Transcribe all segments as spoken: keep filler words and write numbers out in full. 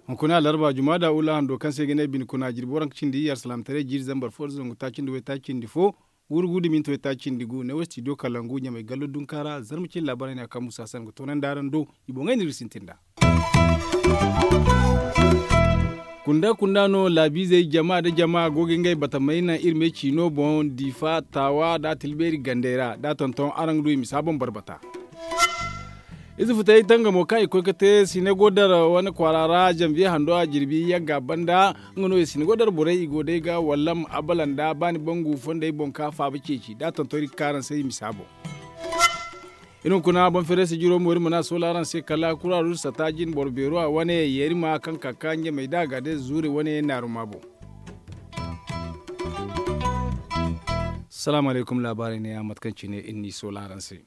Hunkuna larba juma da ula hando kaŋ se ga ne bine kuna jirbi waranka cindi iyye alsalaamataray jiiri zambar fo da zangu taaci nda waytaaci cindi fo, guuru guuru da minti waytaaci cindi gu ne wo stidiyo kalangu ɲamay gallo dunka ra zarma cine laabaarey no ya kaŋ musa san ga toonandi araŋ do. I boŋey no iri ga sintin nd'a. Kunda kunda no laabiizey jama nda jama go ga ngey batamey naŋ iri me ciino boŋ diifa taawa nda a tilbeeri gandey ra da a tonton araŋ ga du i ma si a boŋ barbata. Ize futay tangamo kaŋ i koy ga te sinagodar wane kwaara ra zanviye hando a jirbi yagga banda. Nga no i sinagodar borey i go day ga wallam abalanda baani bangu fondey boŋ ka faaba ceeci da a tonton iri ga ka araŋ se i ma si a boŋ. Iri hunkuna boŋ fereese jiro mo iri mana soola araŋ se kala kuraarus sata jin boro beero a wane yeerima kaŋ ka ka ɲamey da a ga day zuure wane naaruma boŋ. Salaamu alaykum laabaarey ne ya mate kaŋ cine iri n'i soola araŋ se.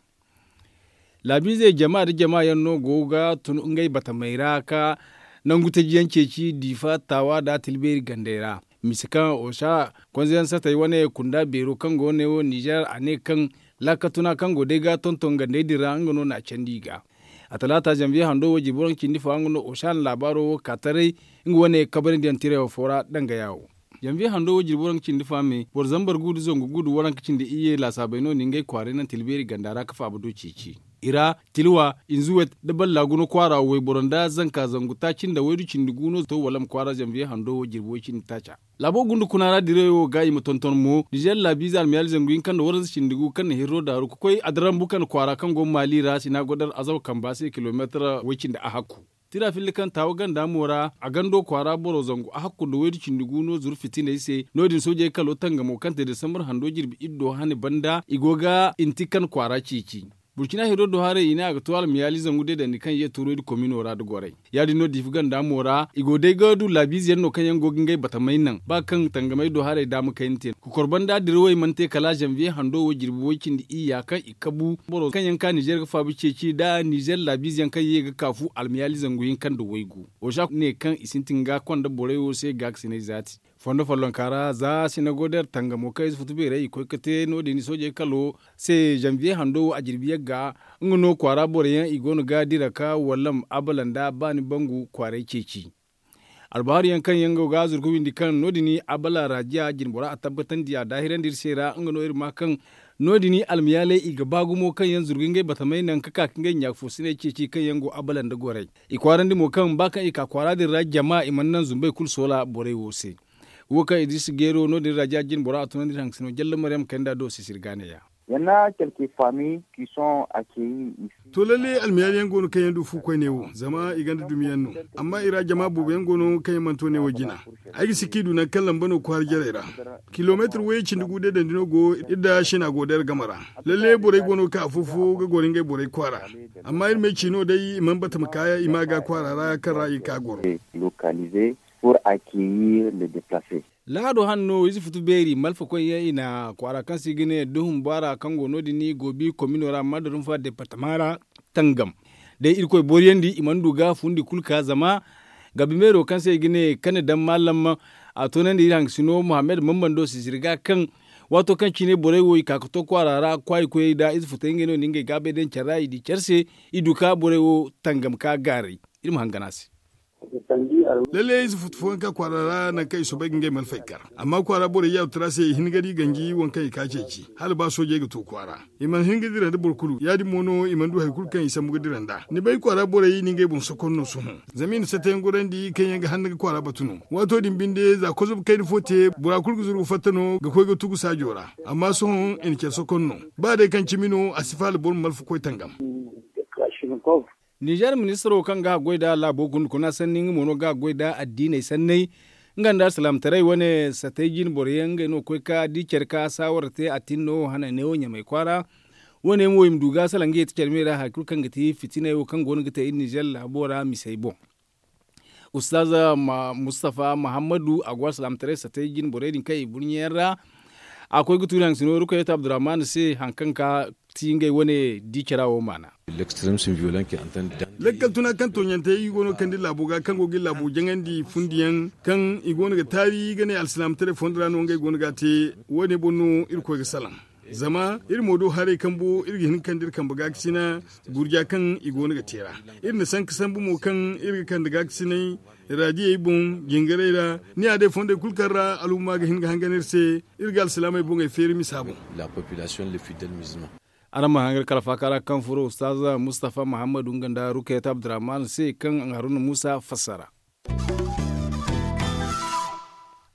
Laabiizey jama nda jama yaŋ no go ga tun ngey batamey ra ka nangu taji yaŋ ceeci diifa taawa nda a tilbeeri gandey ra. Mise kaŋ osa konze yaŋ satey wane kunda beero kaŋ go ne wo nizer a ne kaŋ laakatuna kaŋ go day ga tonton gandey din ra nga no n'a candi i ga. A talaata zanviye hando wo jirbi waranka cindi fo nga no osa na laabaaro wo ka taray nga wane kabarandiyaŋ tirey wo fo ra dangaya wo. Zanviye hando wo jirbi waranka cindi fo a me boro zambar gu nda zangu gu nda waranka cindi iyye laasaabey no na ngey kwaaray naŋ tilbeeri ganda ra ka faaba do ceeci. I ra tilwa inzuwet nda ballaaguno kwaara wayboro nda zanka zangu taaci nda waydu cindi gu no to walam kwaara zanviye hando wo jirbi way cindi taaca. Laabo gunda kuna ra diray wo ga i ma tonton mo nizer laabiize almiyaali zangu hinka nda waranza cindi gu kaŋ na hirro daaru ka koy adarambu kande kwaara kaŋ go maali ra sina godar azaw kamba se kilomeetar way cindi a hakku. Tira filli kaŋ taawa ganda mo ra a gando kwaara boro zangu a hakku nda waydu cindi gu no zuru fitiney se no- din soojey kalo tangamo kaŋ te desambar hando jirbi iddo hane banda i go ga inti kan kwaara ceeci. Burcina hiro do haray i ne a ga to almiyaali zangu deedandi kaŋ ye tuuray da komino ra da goray ya- din no diifi ganda mo ra i go day ga du laabiize yaŋ no kaŋ yaŋ go ga ngey batamey naŋ ba kaŋ tangamey do haray daama kayna te. Kokor banda dirawey mana te kala zanviye hando wo jirbi way cindi iyya kaŋ i kabu boro kaŋ yaŋ ka nizer ga faabu ceeci nda nizer laabiize yaŋ kaŋ ye ga kaafu almiyaali zangu hinka nda waygu. Oza ne kaŋ i sintin ga konda borey wo se gaakasinay zaati fondo follonka ra za sinagoder tangamo kaŋ ize futu beerey i koy ga te no- din soojey kalo se zanviye hando wo a jirbi yagga. Nga no kwaara borey yaŋ i go no ga dira ka wallam abala nda baani bangu kwaaray ceeci. Albahaari yaŋ kaŋ yaŋ go ga zuru ga windi kaŋ no- din abala raajiya jinbora a tabbatandi a daahirandi iri se ra nga no iri ma kaŋ no- din almiyaaley i ga ba gumo kaŋ yaŋ zuru ga ngey batamey naŋ ka ka ga ngey ɲaafoosiney ceeci kaŋ yaŋ go abala nda gorey. I kwaarandi mo kaŋ ba kaŋ i ka kwaara din ra jama i mana naŋ zumbey kulu soola borey wo se. Wo kaŋ idris geero no- din raajiya jinbora a tunandi iri haŋ ga sino jalla maryam kayna do sisiri ga neeya. Yana kelke fami ki son a ke yi. To lalle almiyaali yaŋ go no kaŋ yaŋ du fu koyne wo zama i gonda dumi yaŋ no. Amma i ra jama boobo yaŋ go no kaŋ yaŋ mana to ne wo jina. Ay ga si kaŋ i du nangu kaŋ lamba no kwaara jarey ra. Kilomeetir way cindi gu deedandi no go iri nda sina go day iri game ra. Lalle borey go no kaŋ afo-fo ga goro ngey borey kwaara. Amma iri ma ay ci no day i mana bata ma ka i ma ga kwaara ra kaŋ ra i ga ka goro. Lokalize pour accueillir le deplace. Lahado hane no ize futu beeri malfakoy yaŋ i na kwaara kaŋ se i ga ne duhun baara kaŋ go no- din goobi komino ra madadunfa departama ra tangam. Day irkoy booriyandi i mana du ga fundi kulu ka zama gabi meero kaŋ se i ga ne kane daŋ maalam. A toonandi iri haŋ ga sino muhammad mambando sisiri ga kaŋ waato kaŋ cine borey wo i ka ga to kwaara ra kwaayi koyey nda ize futey ngey no na ngey gaabey daŋ care ra i di care se. I du ka borey wo tangam ka gaaray. Iri ma hangan a se. Lalle ize futu fooyaŋ ka kwaara ra nangu kaŋ i soobay ga ngey malfey kar. Amma kwaara borey yaaru tara se i hin ga di ganji waŋ kaŋ i ka ceeci hala ba soojey ga to kwaara. I mana hin ga dira nda boro kulu ya- din mo no i mana du hari kulu kaŋ i sambu ga dira nd'a ni bay kwaara borey ni ngey boŋ sokon no sohõ. Zama i na satayaŋ gorandi kaŋ yaŋ ga hanna ga kwaara batu no. Waato din binde za kozum kayna fo te bora kulu ga zuru ga fatta no ga koy ga tugu saajo ra. Amma sohõ i na care sokon no. Ba day kaŋ cimi no a si faala boro ma malfa koy tangam. Nizer ministiro kaŋ ga a goy nda laabo gundukuna sanni nga mo no ga a goy nda addiiney sanney. Nga nda alsalaamataray wane satay jine boro yaŋ ngey no ga koy ka di care ka saawara te a tin no hananey wo ɲamay kwaara. Wane mo i ma du ga salaŋ ga ye ti care me ra hari kulu kaŋ ga ti fitiney wo kaŋ go no ga te iri nizer laabo ra misey boŋ. Ustaz mustafa muhammadu a go alsalaamataray satay jine borey din kaŋ i burɲe yaŋ ra. A koy ga tuuri haŋ sino rukayetu abdurrahman se hari kaŋ ka ti ngey wane di cara wo maana. Lakkal tuna kaŋ tooɲantey i go no ga kande laabo ga kaŋ go ga laabo jaŋandi fundiyaŋ kaŋ i go no ga taari ga ne alsilaamataray fondo ra no ngey go no ga a te. Wo- ne boŋ no irkoy ga salaŋ. Zama iri mo do haray kambo iri ga hin ga kande iri kambe ga ga sina gurja kaŋ i go no ga te ra. Iri na sanka sambu mo kaŋ iri ga kande ga ga sinay raadiyey boŋ jingaray ra. Ni ya day fondey kulu kaŋ ra alhumma ga hin ga hangan iri se. Iri ga alsilaamey boŋey feeri misa boŋ. Araŋ ma hangan kala faaka ra kaŋ furo ustaaza mustafa muhammadu nga nda rukayat abdurrahman se kaŋ haruna muusa fassara.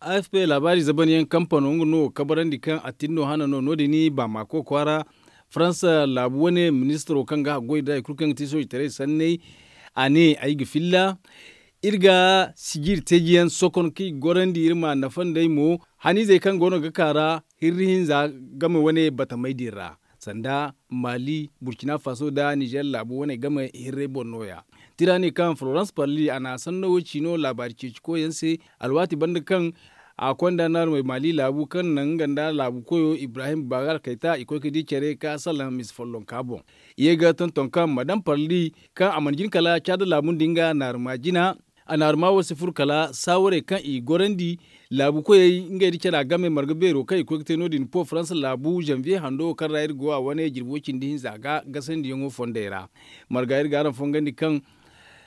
A f p laabaari zabanyaŋ kampano nga no kabarandi kaŋ a tin no hana no no- din baamako kwaara faransa laabu wane ministiro kaŋ ga haggoy da hari kulu kaŋ ga ti soojitaray sanney. A ne ay ga filla iri ga sijiri teejiyaŋ sokon kaŋ i ga gorandi iri ma nafa nd'ey mo. Haniizey kaŋ go no ga ka ra hirri hinza game wane batamey din ra sanda mali burkina faso nda nizer laabu wane game hirrey boŋ no- ya. Tira ne kaŋ florence parli a na a sanno wo ciino laabaari ceeci koyyaŋ se alwaati banda kaŋ a konda naarumey mali laabu kaŋ naŋ nga nda laabu koyo ibrahim bagal kayta i koy ga di care ka salaŋ mise follonka boŋ. I ye ga tonton kaŋ madam parli kaŋ a mana jin kala caada laabu nda nga naaruma jina. A naaruma wo si furo kala saawarey kaŋ i gorandi laabu koyey ngey nda cara game marga beero kaŋ i koy ga te no- din po faransa laabu zanviye hando wo kaŋ ra iri go a wane jirbi wo cindi hinza ga gasandiyaŋo fondey ra. Marga iri ga araŋ fongandi kaŋ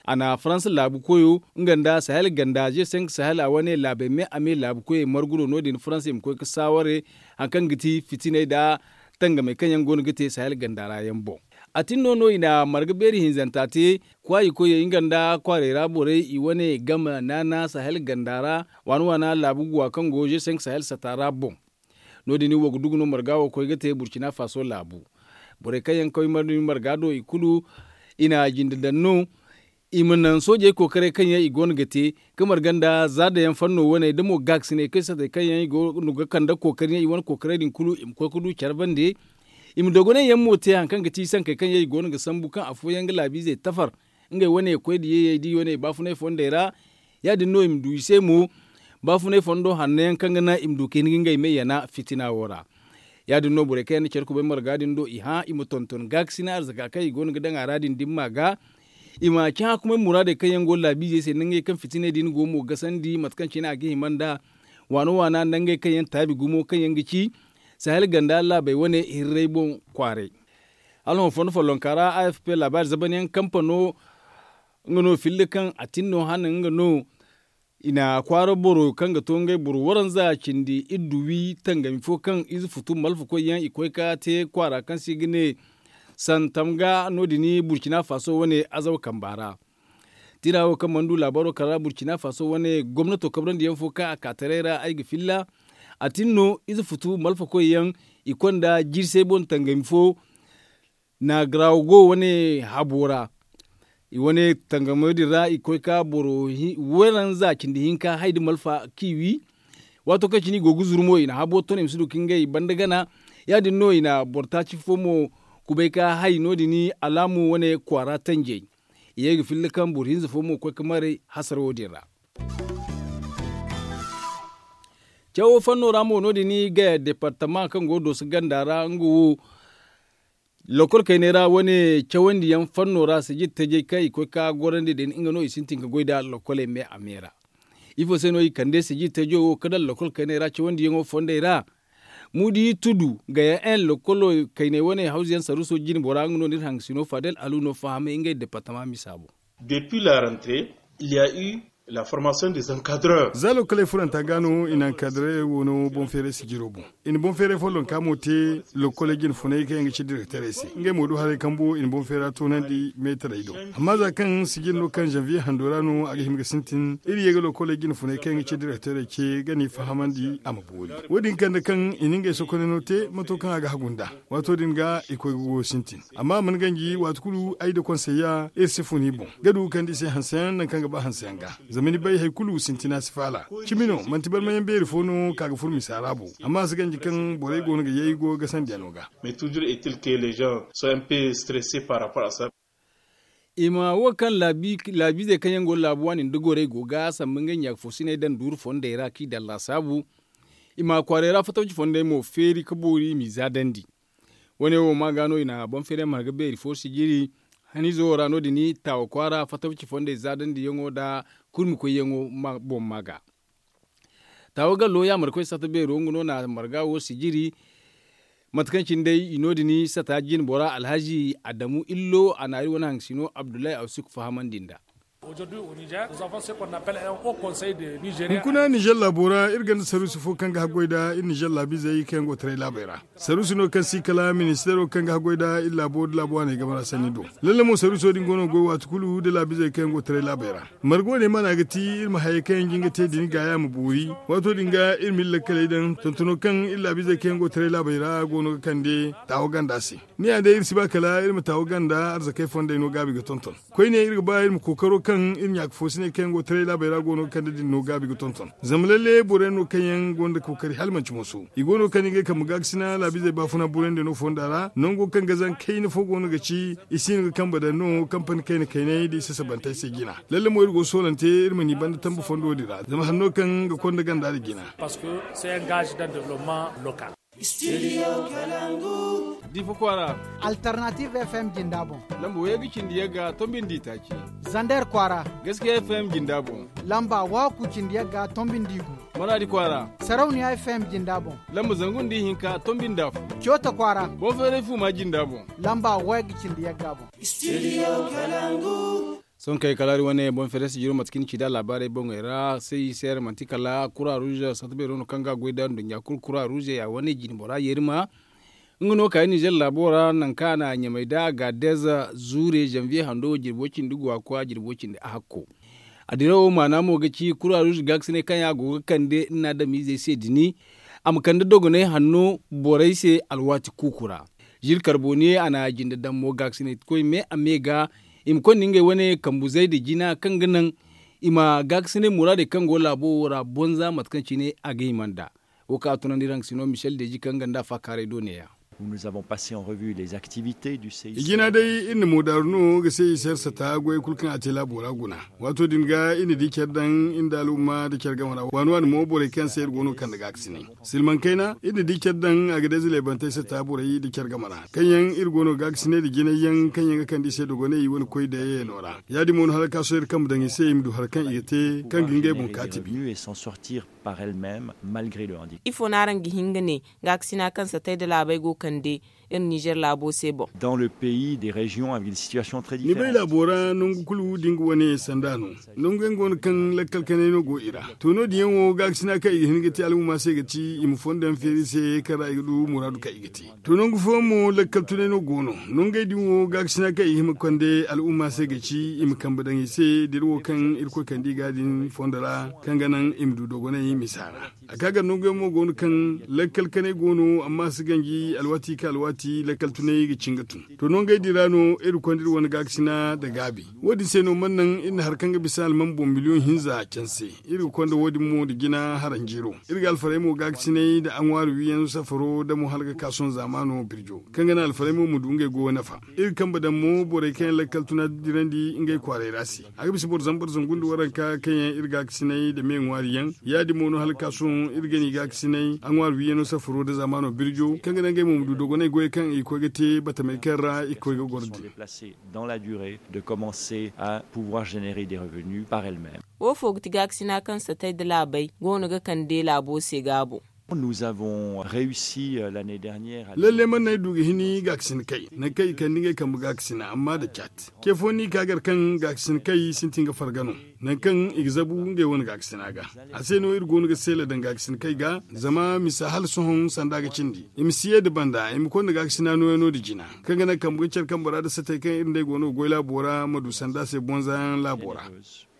a na faransa laabu koyo nga nda sahel ganda ze senk sahel a wane laabey me a me laabu koyey margu no no- din faransa i ma koy ga saaware hari kaŋ ga ti fitiney nda tangamey kaŋ yaŋ go no ga te sahel ganda ra yaŋ boŋ. A tin no no i na marga beeri hinzanta te kwaayi koyey nga nda kwaarey ra borey i wane game naana sahel ganda ra waana waana laabu guwa kaŋ go ze senk sahel sata ra boŋ. No- din wo ga dugu no marga wo koy ga te burkina faso laabu. Borey kaŋ yaŋ koy marga do i kulu i na jinde daŋ no. I ma naŋ soojey kookaray kaŋ yaŋ i go no ga te ga marga nda zaadayaŋ fanno wane da mo gaakasiney kaŋ satey kaŋ yaŋ i go no ga kande kookari yaŋ i wane kookaray din kulu i ma koy ga du care bande. I ma dogonay yaŋ mo te hari kaŋ ga ti sankey kaŋ yaŋ i go no ga sambu kaŋ afooyaŋ ga laabiizey tafar ngey wane koy da yeeyey da i wane baafunay fondey ra. Ya- din no i ma du i se mo baafunay fondo hanno yaŋ kaŋ ga naŋ i ma du ka hin ga ngey me yana fitina wo ra. Ya- din no borey kaŋ yaŋ na care kubay marga din do i hã i ma tonton gaakasina arzaka kaŋ i go no ga daŋ a ra din dimma ga. I ma ci hakumay muraadey kaŋ yaŋ go laabiizey se nangey kaŋ fitiney din go mo gasandi mate kaŋ cine a ga hima nd'a waana waana nangey kaŋ yaŋ taabi gumo kaŋ yaŋ ga ci sahel ganda laabey wane hirray boŋ kwaaray. Hala hõ fondo follonka ra a f p laabaari zabanyaŋ kampano nga no filla kaŋ a tin no hana nga no. I na kwaara boro kaŋ ga to ngey boro waranza cindi iddu wi tangami fo kaŋ ize futu malfa koy yaŋ i koy ka te kwaara kaŋ se i ga ne santam ga no- din burkina faso wane azaw kamba ra. Tira wo kaŋ mana du laabaro kala burkina faso wane gomnato kabrandi yaŋ fo kaŋ a ka taray ra ay ga filla. A tin no ize futu malfa koy yaŋ i konda jirsey boŋ tangami fo. Naagarawo go wane habo ra i wane tangamo din ra i koy ka boro waranza cindi hinka hay da malfa kiwi. Waato kaŋ cine i go ga zuru mo i na habo ton i ma si du ka ngey banda gana. Ya- din no i na boro taaci fo mo kubay ka hay no- din alaamu wane kwaara tanjey. I ye ga filla kaŋ boro hinza fo mo koy ga maray hasara wo- din ra. Cawo fanno ra mo no- din gaya departama kaŋ go dooso ganda ra nga wo. Lokol kayney ra wane cawandiyaŋ fanno ra sijir tajey kaŋ i koy ka gorandi din nga no i sintin ga goy nda lokoley me a me ra. Ifo se no i kande sijir tajo wo ka daŋ lokol kayney ra cawandiyaŋo fondey ra? Muudi tudu gaya en lokolo kayney wane hawzayaŋ saruuso jine bora nga no ni iri hangasino fadel alu no fahamay ngey departama misa boŋ. Depuis la rentrée il ya eu la formation des encadreurs. Za lokoley furanta ga no i na encadrey wo no boŋ feeray sijiro boŋ. I na boŋ feeray follonka mo te lokoley jine funay kaŋ yaŋ ga ci direkterey se ngey mo du haray kambo i na boŋ feera toonandi meetarey do. Amma za kaŋ sijir no kaŋ zanviye hando ra no a ga hima ga sintin iri ye ga lokoley jine funay kaŋ yaŋ ga ci direkterey ce ga ni fahamandi a ma boori. Wo- din kande kaŋ i na ngey sokoney no te mato kaŋ a ga hagu nd'a. Waato din ga i koy ga goyo sintin. Amma a mana ganji waati kulu ay da konsey ya iri si fun i boŋ ga du ga kande i se hanseyaŋ nangu kaŋ ga ba hanseyaŋ ga. Zama ni bay hari kulu sintina si faala. Cimi no manti barmayaŋ beeri fo no ka ga furo misa ra bo. Amma a si ganji kaŋ borey go no ga yay goyo gasandiyano ga. Mais toujours est il que les gens sont un peu stressés par rapport à ça. I ma wo kaŋ laabiizey kaŋ yaŋ go laabu waani nda gorey go ga samba ngey ɲaaka fo sinay daŋ duuru fondey ra kaŋ i daŋ laasaabu. I ma kwaarey ra fattawci fondey mo feeri ka boori i m'i zaadandi. Wo- ne wo ma ga no i na boŋ feeray marga beeri fo sijiri haniizo wo ra no- din taawa kwaara fatawci fondey zaadandiyaŋo nda kurmi koyyaŋo boŋ ma ga. Taawa gallo yaamarkoy sata beero nga no na marga wo sijiri. Mate kaŋ cine day i no- din sata jine bora alhazi adamu illo a na iri wane haŋ sino abdullahi awsik fahamandi nd'a. Hunkuna nizer laabo ra iri gonda saruusi fo kaŋ ga haggoy nda iri nizer laabiizey kaŋ yaŋ go taray laabey ra. Saruusi no kaŋ si kala ministeero kaŋ ga haggoy nda iri laabo nda laabo waaney game ra sanni do. Lalle mo saruuso din go no ga goy waati kulu nda laabiizey kaŋ yaŋ go taray laabey ra. Marga wane maana ga ti iri ma hayey kaŋ yaŋ jin ga te din gaaya ma boori. Waato din ga iri ma iri lakkaley daŋ tontono kaŋ iri laabiizey kaŋ yaŋ go taray laabey ra go no ga kande taawa ganda se. Ni ya day iri si ba kala iri ma taawa ganda arzakey fondey no gaabi ga tonton. Koyne iri ga ba iri ma kookaro kaŋ iri ɲaaka foosiney kaŋ yaŋ go taray laabey ra go no ga kande din no gaabi ga tonton. Zama lalle boro yaŋ no kaŋ yaŋ gonda kookari hala manti mooso i go no ga kande ngey kambe gaakasina laabiizey baafuna burayndi no fonda ra nango kaŋ ga zaŋ kayna fo go no ga ci. I si hin ga kambe daŋ no kampani kayna kaynay da i sasabantey se jina. Lalle mo iri go ga soolante iri ma ni banda tambe fondo din ra zama hanno kaŋ ga konda ganda din jina. Difa kwaara. Alternative f m jinda boŋ. Lamba way ga cindi yagga tombindi taaci. Zander kwaara. Gaskiya f m jinda boŋ. Lamba waaku cindi yagga tombindi gu. Maradi kwaara. Sarauniya f m jinda boŋ. Lamba zangu nda ihinka tombinda fo. Coota kwaara. Boŋ feeray fuuma jinda boŋ. Lamba way ga cindi yagga boŋ. Sohõ kay kala iri wane boŋ feeray si jiro mate kaŋ ni ci nd'a laabaarey boŋey ra se i se yaŋ manti kala kura ruuze sata beero no kaŋ ga a goy nda nduɲɲa kulu kura ruuze ya wane jine bora yeeri ma. Nga no ka iri nizer laabo ra nangu kaŋ a na ɲamay nda a ga a deeza zuure zanviye hando jirbo cindi gu a koy a jirbo cindi a hakko. A dirawo maana mo ga ci kura ruuze gaakasinay kaŋ yaŋ a go ga kande iri na adamiizey se dini. A ma kande dogonay hanno borey se alwaati kuuku ra. Zil karboniye a na a jinde daŋ mo gaakasinay koy me a me ga i ma konda ngey wane kambuzey nda jina kaŋ ga naŋ i ma gaakasinay muraadey kaŋ go laabo wo ra bonza mate kaŋ cine a ga hima nd'a. Wo kaŋ a tunandi raŋ sino michel deji kaŋ ga nda a faakaaray do neeya. I jina day iri na moodaaru no ga se i se iri sata goyey kulu kaŋ a te laabo ra guna. Waato din ga iri na di care daŋ iri nda al'umma nda care game ra waani waani mo borey kaŋ se iri go no ga kande gaakasinay. Silmaŋ kayna iri na di care daŋ a ga deeza leebantey sata borey nda care game ra kaŋ yaŋ iri go no ga gaakasinay nda jinay yaŋ kaŋ yaŋ ga kande i se dogonay i wane koy dayayaŋo ra. Ya- din mo no hala ga ka sohõ iri kambe daŋ i se i ma du hari kaŋ i ga te kaŋ ga ngey boŋ kaati bi. Ifo no araŋ ga hin ga ne gaakasina kaŋ satay nda laabey go kande iri nizer laabo se boŋ? Ni bay laabo ra nangu kulu da nga wane sanda no. Nangu yaŋ go no kaŋ lakkal kanay no go i ra. To no- din yaŋ wo gaakasina kaŋ i ga hin ga te al'umma se ga ci i ma fondo yaŋ feeri i se kaŋ ra i ga du muraadu kaŋ i ga te. To nangu fooyaŋ mo lakkal tunay no go no. Nangey din wo gaakasina kaŋ i ga hima konde al'umma se ga ci i ma kambe daŋ i se da iri wo kaŋ irkoy kande i ga din fondo ra kaŋ ga naŋ i ma du dogonay misa ra. A ka gar nanguyaŋ mo go no kaŋ lakkal kanay go no amma a si ganji alwaati ka alwaati lakkal tunay ga cin ga tun. To nangey din ra no iri konda iri wane gaakasina nda gaabi. Wo- din se no mana naŋ iri na hari kaŋ ga bisa alman boŋ miliyoŋ hinza canse. Iri ga konda wo- din mo nda jina haranjiiro. Iri ga alfarey mo gaakasinay nda aŋwaari wiiyaŋ safaro da mo hala ga ka sohõ zaamaano birjo kaŋ ga naŋ alfarey mo ma du ngey goyo nafa. Iri ga kambe daŋ mo borey kaŋ yaŋ lakkal tuna dirandi ngey kwaaray ra se. A ga bisa boro zambar zangu nda waranka kaŋ yaŋ iri gaakasinay nda me ŋwaari yaŋ. Ya- din mo no hala ga ka sohõ iri ga ni gaakasinay aŋwaari wiiyaŋo safaro nda zaamaano birjo kaŋ ga naŋ ngey mo ma du dogonay goyey kaŋ i ga koy ga te batamey kaŋ ra i ga koy ga goro din. Wo fo ga ti gaakasina kaŋ satay nda laabey go no ga kande laabo se gaabo? Lalle mana ay du ga hini gaakasin kay nangu kaŋ i kande ngey kambe gaakasina amma nda caat ce fo no i ka gar kaŋ gaakasin kay sintin ga farga no. Nangu kaŋ i ga zabu ngey wane gaakasina ga a se no iri go no ga seela daŋ gaakasin kay ga zama misa hala sohõ sanda ga cindi i ma si ye nda banda i ma konda gaakasina nooyaŋo nda jina kaŋ ga naŋ kambe ga care kambe ra nda satey kaŋ iri nd'ey go no ga goy laabo ra ma du sanda se bonza yaŋ laabo ra.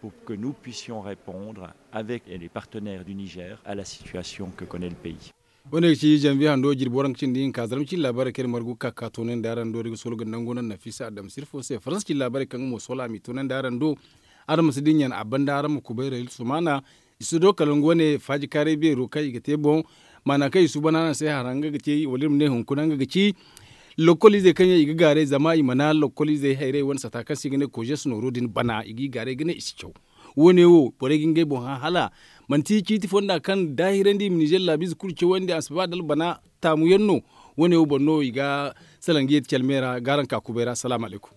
Pour que nous puissions répondre avec les partenaires du niger à la situation que connaît le pays. Wo- ne ga ci zanviye hando jirbi waranka cindi hinka zarma cindi laabaarey kaŋ iri margu ga ka ga toonandi araŋ do da ga soolo ga nangu naŋ nafisa adama sirfo se faransa cindi laabaarey kaŋ ga mo soola a m'i toonandi araŋ do. Araŋ ma si dinya a banda araŋ ma kubay rayil sumaana. I si do kala nga wane faaji kaaray beero kaŋ i ga te boŋ. Maana kaŋ i suuban araŋ se hara nga ga te wala iri ma ne hunkuna nga ga ci. Lokkol izey kaŋ yaŋ i ga gaaray zama i mana lokkol izey hayray wane sata kaŋ se i ga ne kojes nooro din bana i g'i gaaray ga ne i si caw. Wo- ne wo borey ga ngey boŋ hã hala manti ciiti fonda kaŋ daahirandi i ma nizer laabiize kulu cawandi a si ba da albana taamu yaŋ no. Wo- ne wo boŋ no i ga salaŋ ga ye da calmey ra ga araŋ ka kubay ra salaamu alaykum.